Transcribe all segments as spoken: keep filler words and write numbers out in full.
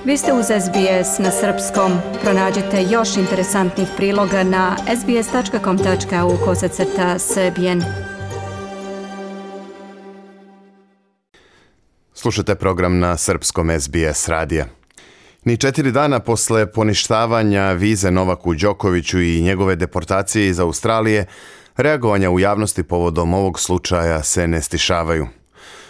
Vi ste uz S B S na srpskom. Pronađite još interesantnih priloga na sbs.com.au kosacrta srbijen. Slušajte program na srpskom S B S radija. Ni četiri dana posle poništavanja vize Novaku Đokoviću i njegove deportacije iz Australije, reagovanja u javnosti povodom ovog slučaja se ne stišavaju.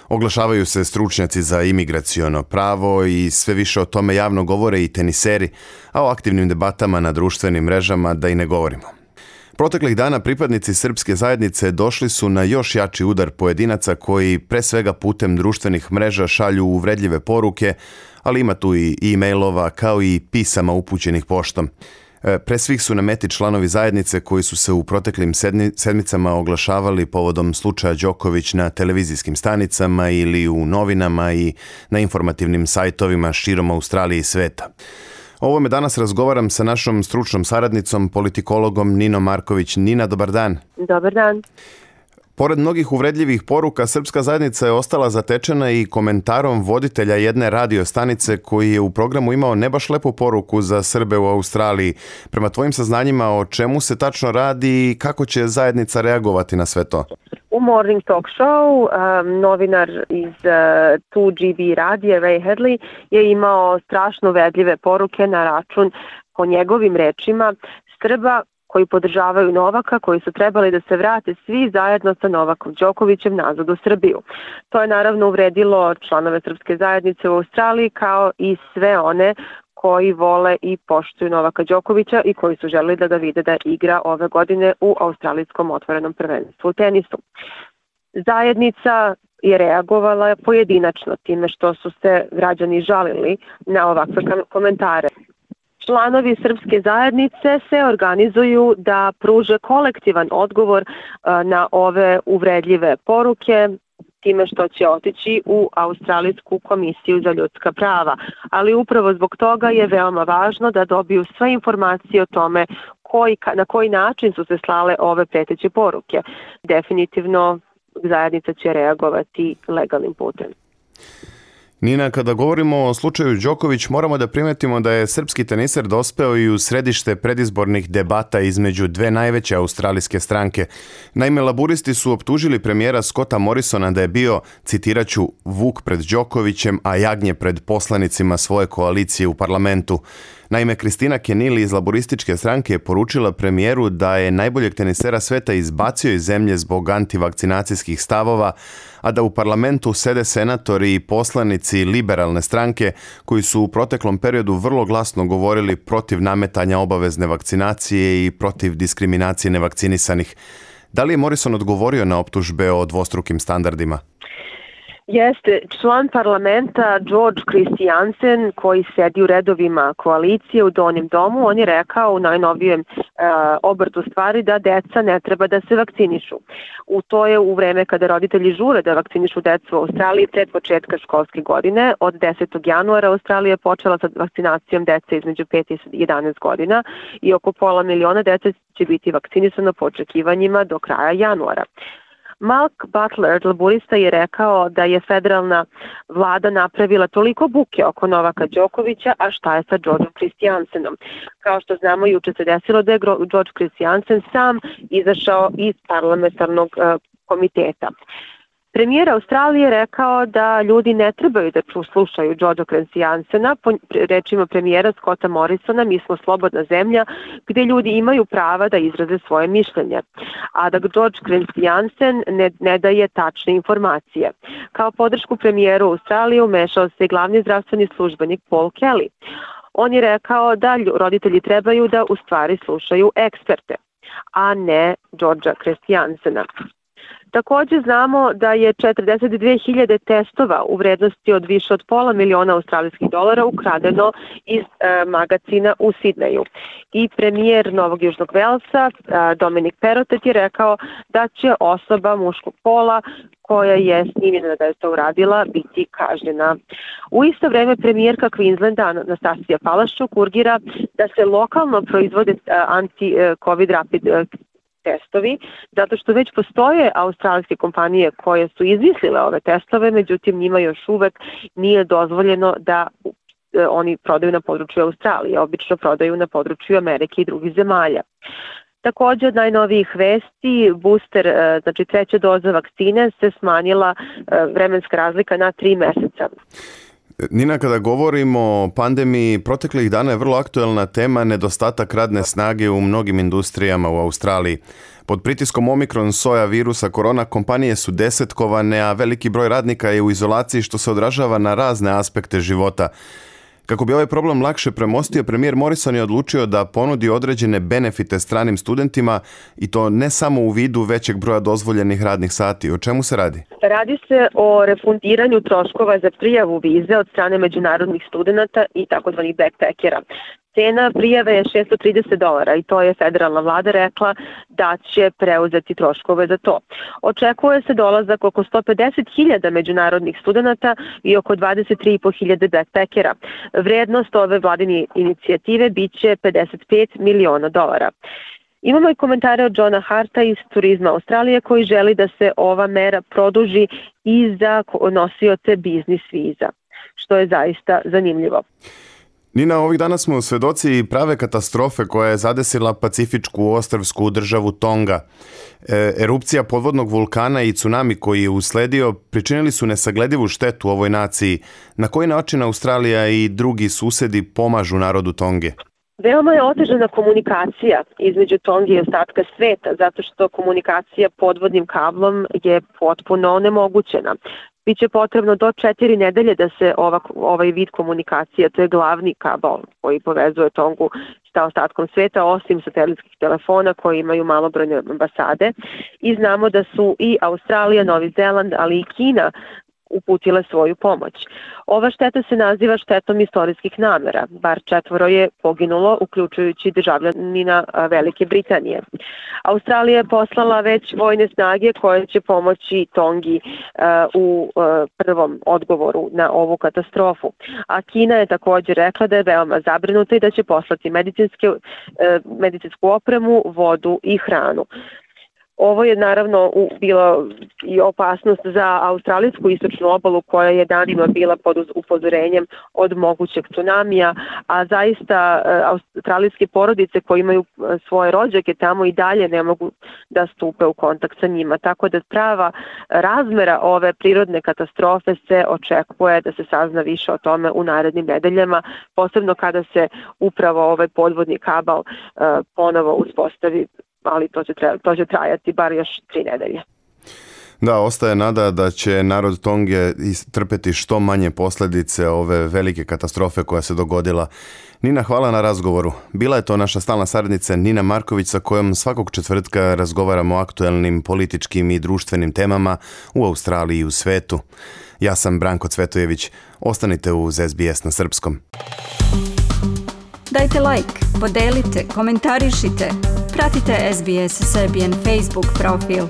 Oglašavaju se stručnjaci za imigraciono pravo i sve više o tome javno govore i teniseri, a o aktivnim debatama na društvenim mrežama da i ne govorimo. Proteklih dana pripadnici srpske zajednice došli su na još jači udar pojedinaca koji pre svega putem društvenih mreža šalju uvredljive poruke, ali ima tu i e-mailova kao i pisama upućenih poštom. Pre svih su na meti članovi zajednice koji su se u proteklim sedmi, sedmicama oglašavali povodom slučaja Đoković na televizijskim stanicama ili u novinama i na informativnim sajtovima širom Australije i sveta. O ovome danas razgovaram sa našom stručnom saradnicom, politikologom Ninom Marković. Nina, dobar dan. Dobar dan. Pored mnogih uvredljivih poruka, srpska zajednica je ostala zatečena i komentarom voditelja jedne radio stanice koji je u programu imao ne baš lepu poruku za Srbe u Australiji. Prema tvojim saznanjima, o čemu se tačno radi i kako će zajednica reagovati na sve to? U Morning Talk Show um, novinar iz uh, two G B radija Ray Hadley je imao strašno uvredljive poruke na račun, po njegovim rečima, Srba koji podržavaju Novaka, koji su trebali da se vrate svi zajedno sa Novakom Đokovićem nazad u Srbiju. To je naravno uvredilo članove srpske zajednice u Australiji kao i sve one koji vole i poštuju Novaka Đokovića i koji su želeli da ga vide da igra ove godine u australijskom otvorenom prvenstvu u tenisu. Zajednica je reagovala pojedinačno time što su se građani žalili na ovakve komentare. Članovi srpske zajednice se organizuju da pruže kolektivan odgovor na ove uvredljive poruke time što će otići u Australijsku komisiju za ljudska prava. Ali upravo zbog toga je veoma važno da dobiju sve informacije o tome koji, na koji način su se slale ove preteće poruke. Definitivno zajednica će reagovati legalnim putem. Nina, kada govorimo o slučaju Đoković, moramo da primetimo da je srpski teniser dospeo i u središte predizbornih debata između dve najveće australijske stranke. Naime, laburisti su optužili premijera Scotta Morrisona da je bio, citiraću, vuk pred Đokovićem, a jagnje pred poslanicima svoje koalicije u parlamentu. Naime, Kristina Kenili iz laborističke stranke je poručila premijeru da je najboljeg tenisera sveta izbacio iz zemlje zbog antivakcinacijskih stavova, a da u parlamentu sede senatori i poslanici liberalne stranke koji su u proteklom periodu vrlo glasno govorili protiv nametanja obavezne vakcinacije i protiv diskriminacije nevakcinisanih. Da li je Morrison odgovorio na optužbe o dvostrukim standardima? Jeste, član parlamenta George Christiansen koji sedi u redovima koalicije u Donjem domu, on je rekao u najnovijem e, obrtu stvari da deca ne treba da se vakcinišu. U to je u vreme kada roditelji žure da vakcinišu decu u Australiji pred početka školske godine. Od desetog januara Australija je počela sa vakcinacijom dece između pet i jedanaest godina i oko pola miliona dece će biti vakcinisano po očekivanjima do kraja januara. Mark Butler, laborista, je rekao da je federalna vlada napravila toliko buke oko Novaka Đokovića, a šta je sa Georgeom Christiansenom? Kao što znamo, juče se desilo da je George Christiansen sam izašao iz parlamentarnog uh, komiteta. Premijer Australije rekao da ljudi ne trebaju da slušaju Georgea Christiansena. Po rečima premijera Scotta Morrisona, mi smo slobodna zemlja gdje ljudi imaju prava da izraze svoje mišljenje, a da George Christiansen ne, ne daje tačne informacije. Kao podršku premijeru Australije umešao se glavni zdravstveni službenik Paul Kelly. On je rekao da roditelji trebaju da u stvari slušaju eksperte, a ne Georgea Christiansena. Također znamo da je četrdeset dve hiljade testova u vrednosti od više od pola miliona australijskih dolara ukradeno iz e, magacina u Sidneju. I premijer Novog Južnog Velsa, e, Dominic Perrottet, je rekao da će osoba muškog pola koja je snimljena da je to uradila biti kažnjena. U isto vreme premijerka Queenslanda Anastasija Palaščuk urgira da se lokalno proizvode anti-covid rapid testovi, zato što već postoje australijske kompanije koje su izmislile ove testove, međutim njima još uvek nije dozvoljeno da oni prodaju na području Australije, obično prodaju na području Amerike i drugih zemalja. Također od najnovijih vesti, booster, znači treća doza vakcine, se smanjila vremenska razlika na tri meseca. Nina, kada govorimo o pandemiji, proteklih dana je vrlo aktuelna tema nedostatak radne snage u mnogim industrijama u Australiji. Pod pritiskom Omikron soja virusa korona kompanije su desetkovane, a veliki broj radnika je u izolaciji što se odražava na razne aspekte života. Kako bi ovaj problem lakše premostio, premijer Morrison je odlučio da ponudi određene benefite stranim studentima i to ne samo u vidu većeg broja dozvoljenih radnih sati. O čemu se radi? Radi se o refundiranju troškova za prijavu vize od strane međunarodnih studenata i takozvanih backpackera. Cena prijave je šesto trideset dolara i to je federalna vlada rekla da će preuzeti troškove za to. Očekuje se dolazak oko sto pedeset hiljada međunarodnih studenata i oko dvadeset tri i po hiljade backpackera. Vrednost ove vladine inicijative biće pedeset pet miliona dolara. Imamo i komentare od Johna Harta iz Turizma Australije koji želi da se ova mera produži i za nosioce biznis viza, što je zaista zanimljivo. Nina, ovih dana smo svedoci prave katastrofe koja je zadesila pacifičku ostrvsku državu Tonga. E, erupcija podvodnog vulkana i tsunami koji je usledio pričinili su nesagledivu štetu ovoj naciji. Na koji način Australija i drugi susedi pomažu narodu Tonge? Veoma je otežana komunikacija između Tonge i ostatka sveta, zato što komunikacija podvodnim kablom je potpuno onemogućena. Biće potrebno do četiri nedelje da se ova, ovaj vid komunikacije, to je glavni kabel koji povezuje Tongu sa ostatkom sveta, osim satelitskih telefona koji imaju malobrojne ambasade. I znamo da su i Australija, Novi Zeland, ali i Kina uputile svoju pomoć. Ova šteta se naziva štetom istorijskih namera. Bar četvoro je poginulo, uključujući državljanina Velike Britanije. Australija je poslala već vojne snage koje će pomoći Tongi u prvom odgovoru na ovu katastrofu. A Kina je također rekla da je veoma zabrinuta i da će poslati medicinske, medicinsku opremu, vodu i hranu. Ovo je naravno bilo i opasnost za australijsku istočnu obalu koja je danima bila pod upozorenjem od mogućeg tsunamija, a zaista australijske porodice koje imaju svoje rođake tamo i dalje ne mogu da stupe u kontakt sa njima. Tako da prava razmera ove prirodne katastrofe se očekuje da se sazna više o tome u narednim nedeljama, posebno kada se upravo ovaj podvodni kabel ponovo uspostavi, ali to će, treba, to će trajati bar još tri nedelje. Da, ostaje nada da će narod Tonge trpeti što manje posljedice ove velike katastrofe koja se dogodila. Nina, hvala na razgovoru. Bila je to naša stalna saradnica Nina Marković sa kojom svakog četvrtka razgovaramo o aktuelnim političkim i društvenim temama u Australiji i u svetu. Ja sam Branko Cvetojević. Ostanite uz S B S na srpskom. Dajte like, podelite, komentarišite. Pratite S B S Serbian Facebook profil.